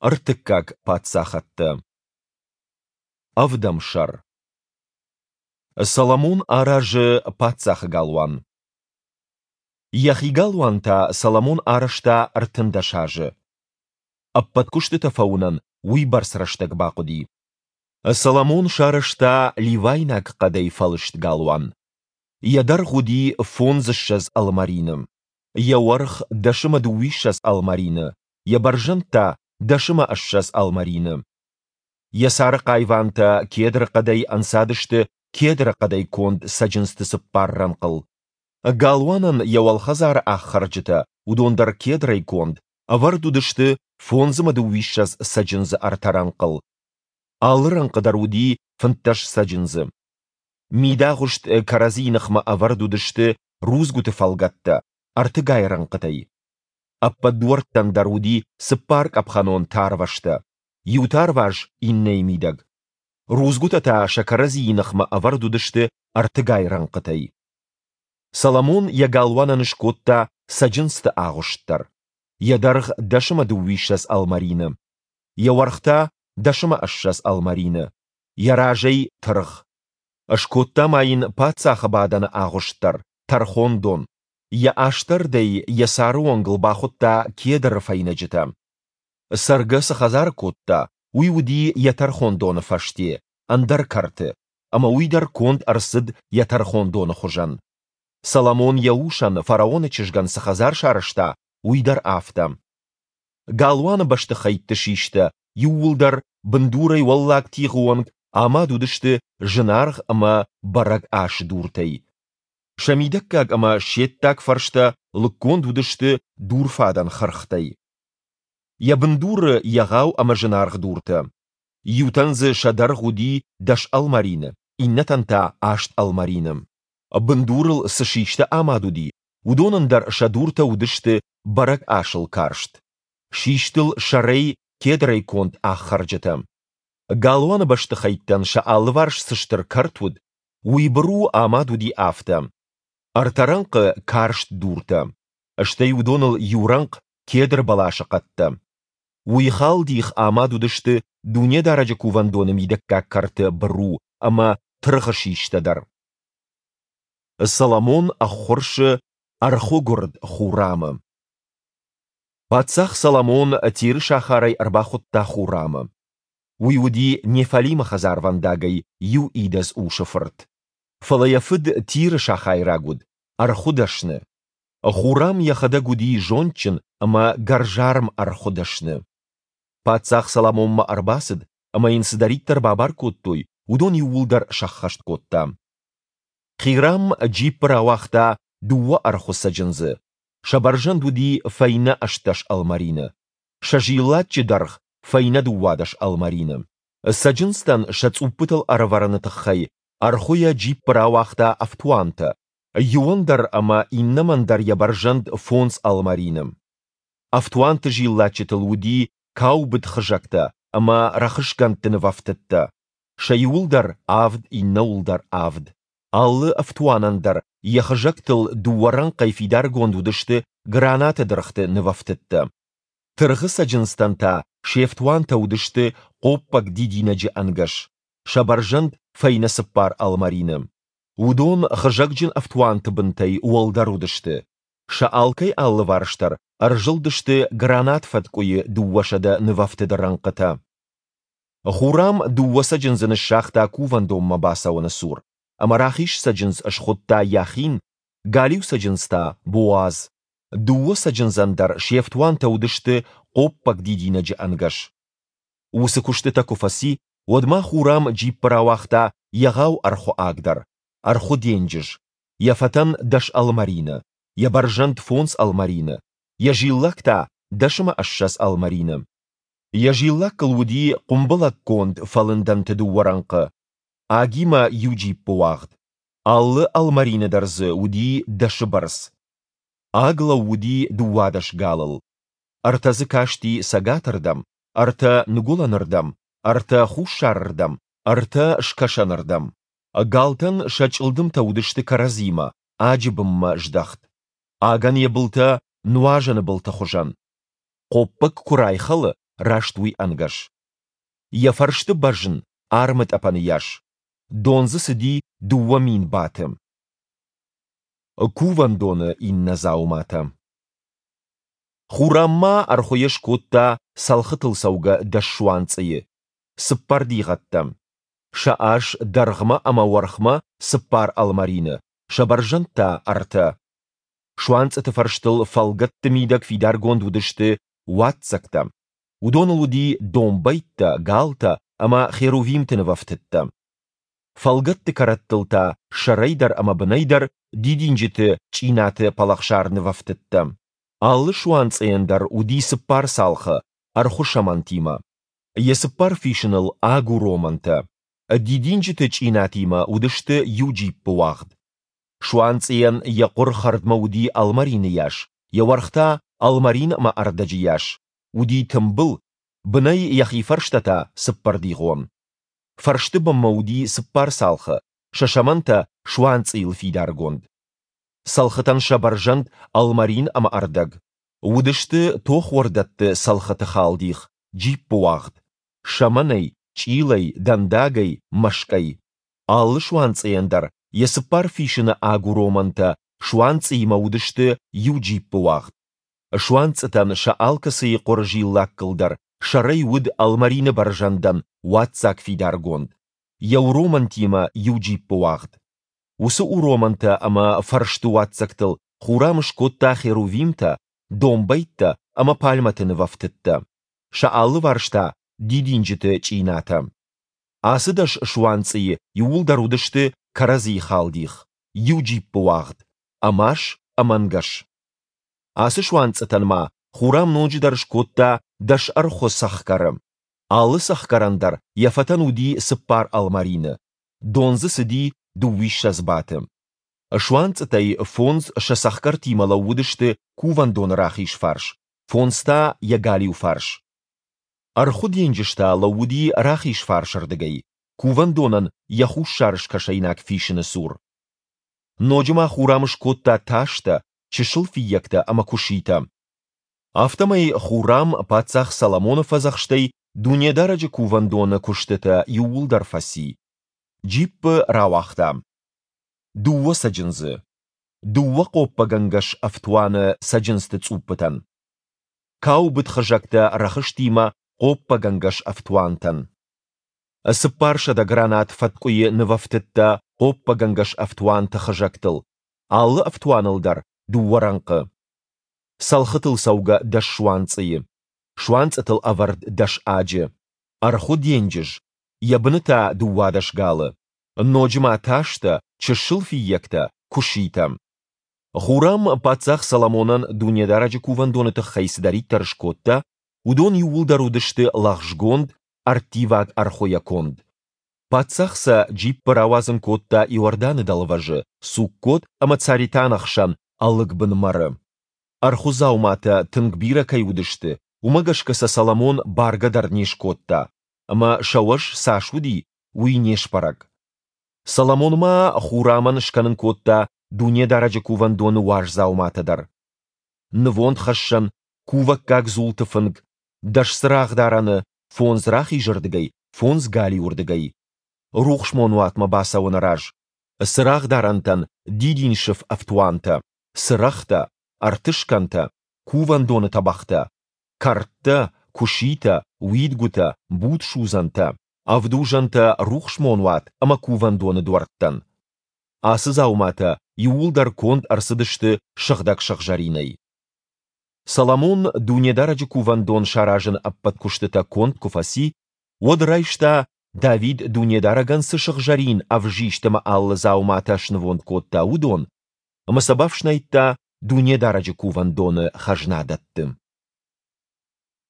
Ӕртыккаг паддзахӕдтӕ. Ӕвдӕм сӕр. Соломон аразы паддзахы галуан. Йӕхи галуан та Соломон арӕзта 13 азы. Ӕппӕт куыстытӕ фӕуынӕн уыйбӕрц рӕстӕг бахъуыди. Соломон сарӕзта ливайнаг хъӕдӕй фӕлыст галуан. Йӕ дӕргъ уыди фондзыссӕдз ӕлмӕрины, йӕ уӕрх дӕс ӕмӕ дыууиссӕдз ӕлмӕрины, йӕ бӕрзӕнд та дӕс ӕмӕ ссӕдз ӕлмӕрины. Йӕ цары хъайвантӕ кедры хъӕдӕй ӕнцадысты кедры хъӕдӕй конд цӕджындзты цыппар рӕнхъыл. Галуанӕн йӕ уӕлхӕдзары ӕххӕрджытӕ, уыдон дӕр кедрӕй конд, ӕвӕрд уыдысты фондз ӕмӕ дыууиссӕдз цӕджындзы ӕртӕ рӕнхъыл. Алы рӕнхъы дӕр уыди 15 цӕджындзы. Мидагъуыст кӕрӕдзийы ныхмӕ ӕвӕрд уыдысты рудзгуыты фӕлгӕттӕ ӕртыгай рӕнхъытӕй. Ӕппӕт дуӕрттӕн дӕр уыди цыппаркъӕпхӕнон тарвӕзтӕ, иу тарваз иннӕйы мидӕг. Рудзгуытӕ та сӕ кӕрӕдзийы ныхмӕ ӕвӕрд уыдысты ӕртыгай рӕнхъытӕй. Соломон йӕ галуанӕн скодта цӕджындзты агъуыст дӕр. Йӕ дӕргъ дӕс ӕмӕ дыууиссӕдз ӕлмӕрины, йӕ уӕрх та дӕс ӕмӕ ссӕдз ӕлмӕрины, йӕ разӕй тыргъ. Скодта ма йын паддзахы бадӕны агъуыст дӕр, тӕрхондон. Йӕ астӕрдӕй йӕ цары онгыл бахуыдта кедры фӕйнӕджытӕ. Цӕргӕ цы хӕдзары кодта, уый уыди йӕ тӕрхондоны фӕсте, ӕндӕр кӕрты, ӕмӕ уый дӕр конд ӕрцыд йӕ тӕрхондоны хуызӕн. Соломон йӕ усӕн, фараоны чызгӕн цы хӕдзар сарӕзта, уый дӕр афтӕ. Галуаны бӕстыхӕйтты систӕ иууылдӕр бындурӕй уӕллаг тигъы онг амад уыдысты зынаргъ ӕмӕ бӕрӕг ас дуртӕй. Сӕ мидӕггаг ӕмӕ се ддаг фӕрстӕ лыггонд уыдысты дурфадӕн хырхтӕй. Йӕ бындуры егъау ӕмӕ зынаргъ дуртӕ. Иутӕн дзы сӕ дӕргъ уыди дӕс ӕлмӕрины, иннӕтӕн та аст ӕлмӕрины. Бындурыл цы систӕ амад уыди, уыдонӕн дӕр сӕ дуртӕ уыдысты бӕрӕг асыл карст. Систыл сӕрӕй кедрӕй конд ӕххӕрджытӕ. Галуаны бӕстыхӕйттӕн сӕ алыварс цы стыр кӕрт уыд, уый быру амад уыди афтӕ. Ӕртӕ рӕнхъы карст дуртӕ, стӕй уыдоныл иу рӕнхъ кедр бӕласы хъӕдтӕ. Уый халдих амад уыдысты Дунедарӕджы кувӕндоны мидӕггаг кӕрты быру ӕмӕ тыргъы систӕ дӕр. Соломон ӕххуырсы ӕрхуыгуырд Хурамы. Паддзах Соломон Тиры сахарӕй ӕрбахуыдта Хурамы. Уый уыди Неффалимы хӕдзарвӕндагӕй иу идӕдз усы фырт. Фӕлӕ йӕ фыд Тиры сахайраг уыд, ӕрхуыдӕсны. Хурам йӕхӕдӕг уыди зондджын ӕмӕ гӕрзарм ӕрхуыдӕсны. Паддзах Соломонмӕ ӕрбацыд ӕмӕ йын цыдӕриддӕр бабар кодтой, уыдон иууылдӕр сӕххӕст кодта. Хирам джиппы рауагъта дыууӕ ӕрхуы цӕджындзы. Сӕ бӕрзӕнд уыди фӕйнӕ 18 ӕлмӕрины, сӕ зиллаччы дӕргъ фӕйнӕ 12 ӕлмӕрины. Цӕджындзтӕн сӕ цъуппытыл ӕрӕвӕрыны тыххӕй ӕрхуыйӕ джиппы рауагъта ӕфтуантӕ, иуӕн дӕр ӕмӕ иннӕмӕн дӕр йӕ бӕрзӕнд фондз ӕлмӕрины. Ӕфтуанты зиллаччытыл уыди каубыд хызӕгтӕ ӕмӕ рӕхысгӕндты нывӕфтыдтӕ, сӕ иуыл дӕр авд, иннӕуыл дӕр авд. Алы ӕфтуанӕн дӕр йӕ хызӕгтыл дыууӕ рӕнхъӕй фидаргонд уыдысты гранаты дыргъты нывӕфтыдтӕ. Тыргъы цӕджындзтӕн та се фтуантӕ уыдысты хъоппӕг дидинӕджы ӕнгӕс, сӕ бӕрзӕнд фӕйнӕ цыппар ӕлмӕрины. Уыдон хызӕгджын ӕфтуанты бынтӕй уӕлдӕр уыдысты. Сӕ алкӕй алыварс дӕр ӕрзылдысты гранат фӕткъуыйы 200 нывӕфтыды рӕнхъытӕ. Хурам дыууӕ цӕджындзы ныссагъта кувӕндонмӕ бацӕуӕны цур, ӕмӕ рахиз цӕджындз схуыдта Яхин, галиу цӕджындз та Боаз. Дыууӕ цӕджындзӕн дӕр се фтуантӕ уыдысты хъоппӕг дидинӕджы ӕнгӕс. Уыцы куыстытӕ куы фӕци, уӕд ма Хурам джиппы рауагъта егъау ӕрхуы аг дӕр, ӕрхуы денджыз, йӕ фӕтӕн дӕс ӕлмӕрины, йӕ бӕрзӕнд фондз ӕлмӕрины, йӕ зиллакк та дӕс ӕмӕ ссӕдз ӕлмӕрины. Йӕ зиллаккыл уыди хъуымбылӕггонд фӕлындӕнты дыууӕ рӕнхъы, агимӕ иу джиппы уагъд. Алы ӕлмӕрины дӕр дзы уыди дӕсы бӕрц. Аг лӕууыди 12 галыл. Ӕртӕ дзы касти цӕгатырдӕм, ӕртӕ ныгуылӕнырдӕм, ӕртӕ хуссарырдӕм, ӕртӕ скӕсӕнырдӕм. Галтӕн сӕ чъылдымтӕ уыдысты кӕрӕдзимӕ, аджы бынмӕ здӕхт. Агӕн йӕ былтӕ нуазӕны былты хуызӕн. Хъоппӕг куы райхӕлы, раст уый ӕнгӕс. Йӕ фӕрсты бӕзн армы тъӕпӕны йас. Дон дзы цыди 2000 баты. Кувӕндоны иннӕ дзауматӕ. Хурам ма ӕрхуыйӕ скодта цӕлхытыл цӕугӕ дӕс суанцъыйы, цыппӕрдигъӕттӕ. Сӕ ас дӕргъмӕ ӕмӕ уӕрхмӕ цыппар ӕлмӕрины, сӕ бӕрзӕнд та ӕртӕ. Суанцъыты фӕрстыл фӕлгӕтты мидӕг фидаргонд уыдысты уадздзӕгтӕ. Уыдоныл уыди домбӕйттӕ, галтӕ ӕмӕ херувимты нывӕфтыдтӕ. Фӕлгӕтты кӕрӕттыл та сӕрӕй дӕр ӕмӕ бынӕй дӕр дидинджыты чъинаты пӕлӕхсар нывӕфтыдтӕ. Алы суанцъыйӕн дӕр уыди цыппар цалхы ӕрхуы сӕмӕнтимӕ. Йӕ цыппар фисыныл агуромӕнтӕ. Дидинджыты чъинатимӕ уыдысты иу джиппы уагъд. Суанцъыйӕн йӕ хъуыр хӕрдмӕ уыди ӕлмӕрины йас, йӕ уӕрх та ӕлмӕрин ӕмӕ ӕрдӕджы йас, уыди тымбыл, бынӕй йӕхи фӕрстӕ та цыппӕрдигъон. Фӕрсты бынмӕ уыди цыппар цалхы, сӕ сӕмӕнтӕ суанцъыйыл фидаргонд. Цӕлхытӕн сӕ бӕрзӕнд ӕлмӕрин ӕмӕ ӕрдӕг. Уыдысты тохуӕрдӕтты цӕлхыты халдих, джиппы уагъд. Сӕмӕнӕй, чъилӕй, дӕндагӕй, мӕскъӕй. Алы суанцъыйӕн дӕр йӕ цыппар фисыны агуромӕнтӕ суанцъыимӕ уыдысты иу джиппы уагъд. Суанцъытӕн сӕ алкӕцыйы хъуыры зиллаккыл дӕр сӕрӕй уыд ӕлмӕрины бӕрзӕндӕн уадздзаг фидаргонд, йӕ уромӕнтимӕ иу джиппы уагъд. Уыцы уромӕнтӕ ӕмӕ фӕрсты уадздзӕгтыл Хурам скодта херувимтӕ, домбӕйттӕ ӕмӕ пальмӕты нывӕфтыдтӕ, сӕ алыварс та дидинджыты чъинатӕ. Ацы дӕс суанцъыйы иууылдӕр уыдысты кӕрӕдзийы халдих, иу джиппы уагъд, ӕмас ӕмӕнгӕс. Ацы суанцъытӕн ма Хурам ноджыдӕр скодта дӕс ӕрхуы цӕхгӕры. Алы цӕхгӕрӕн дӕр йӕ фӕтӕн уыди цыппар ӕлмӕрины, дон дзы цыди дыууиссӕдз баты. Суанцъытӕй фондз сӕ цӕхгӕртимӕ лӕууыдысты кувӕндоны рахиз фарс, фондз та йӕ галиу фарс. Ӕрхуы денджыз та лӕууыди рахиз фарсырдыгӕй, кувӕндонӕн йӕ хуссар-скӕсӕйнаг фисыны цур. Ноджы ма Хурам скодта тастӕ, чысыл фыййӕгтӕ ӕмӕ куыситӕ. Афтӕмӕй Хурам паддзах Соломоны фӕдзӕхстӕй Дунедарӕджы кувӕндоны куыстытӕ иууылдӕр фӕци. Джиппы рауагъта. Дыууӕ цӕджындзы. Дыууӕ хъоппӕгӕнгӕс ӕфтуаны цӕджындзты цъуппытӕн. Каубыд хызӕгтӕ рӕхыстимӕ хъоппӕгӕнгӕс ӕфтуантӕн. 400 гранат фӕткъуыйы нывӕфтыдтӕ хъоппӕгӕнгӕс ӕфтуанты хызӕгтыл, алы ӕфтуаныл дӕр дыууӕ рӕнхъы. Цӕлхытыл цӕугӕ дӕс суанцъыйы, суанцъытыл ӕвӕрд дӕс аджы, ӕрхуы денджыз, йӕ быны та 12 галы, ноджы ма тастӕ, чысыл фыййӕгтӕ, куыситӕ. Хурам паддзах Соломонӕн Дунедарӕджы кувӕндоны тыххӕй цыдӕриддӕр скодта, уыдон иууылдӕр уыдысты лӕгъзгонд, ӕрттиваг ӕрхуыйӕ конд. Паддзах сӕ джиппы рауадзын кодта Иорданы дӕлвӕзы, Суккот ӕмӕ Царетаны хсӕн ӕлыгбын мӕры. Ӕрхуы дзауматӕ тынг бирӕ кӕй уыдысты, уымӕ гӕсгӕ сӕ Соломон баргӕ дӕр не скодта, ӕмӕ сӕ уӕз цас уыди, уый не сбӕрӕг. Соломон ма Хурамӕн скӕнын кодта Дунедарӕджы кувӕндоны уаз дзауматӕ дӕр. Нывондхӕссӕн, кувӕггаг дзулты фынг, дӕс цырагъдарӕны, фондз рахизырдыгӕй, фондз галиуырдыгӕй. Рухсмонуатмӕ бацӕуӕны раз цырагъдарӕнтӕн дидинсыф ӕфтуантӕ, цырӕгътӕ, ӕртыскӕнтӕ, кувӕндоны тӕбӕгътӕ, кӕрдтӕ, куыситӕ, уидгуытӕ, будсудзӕнтӕ, ӕвдузӕнтӕ рухсмонуат ӕмӕ кувӕндоны дуӕрттӕн. Ацы дзауматӕ иууылдӕр конд ӕрцыдысты сыгъдӕг сыгъзӕринӕй. Соломон Дунедарӕджы кувӕндон саразыны ӕппӕт куыстытӕ конд куы фӕци, уӕд райста, Давид Дунедарӕгӕн цы сыгъзӕрин, ӕвзист ӕмӕ алы дзауматӕ снывонд кодта, уыдон, ӕмӕ сӕ бафснайдта Дунедарӕджы кувӕндоны хӕзнадӕтты.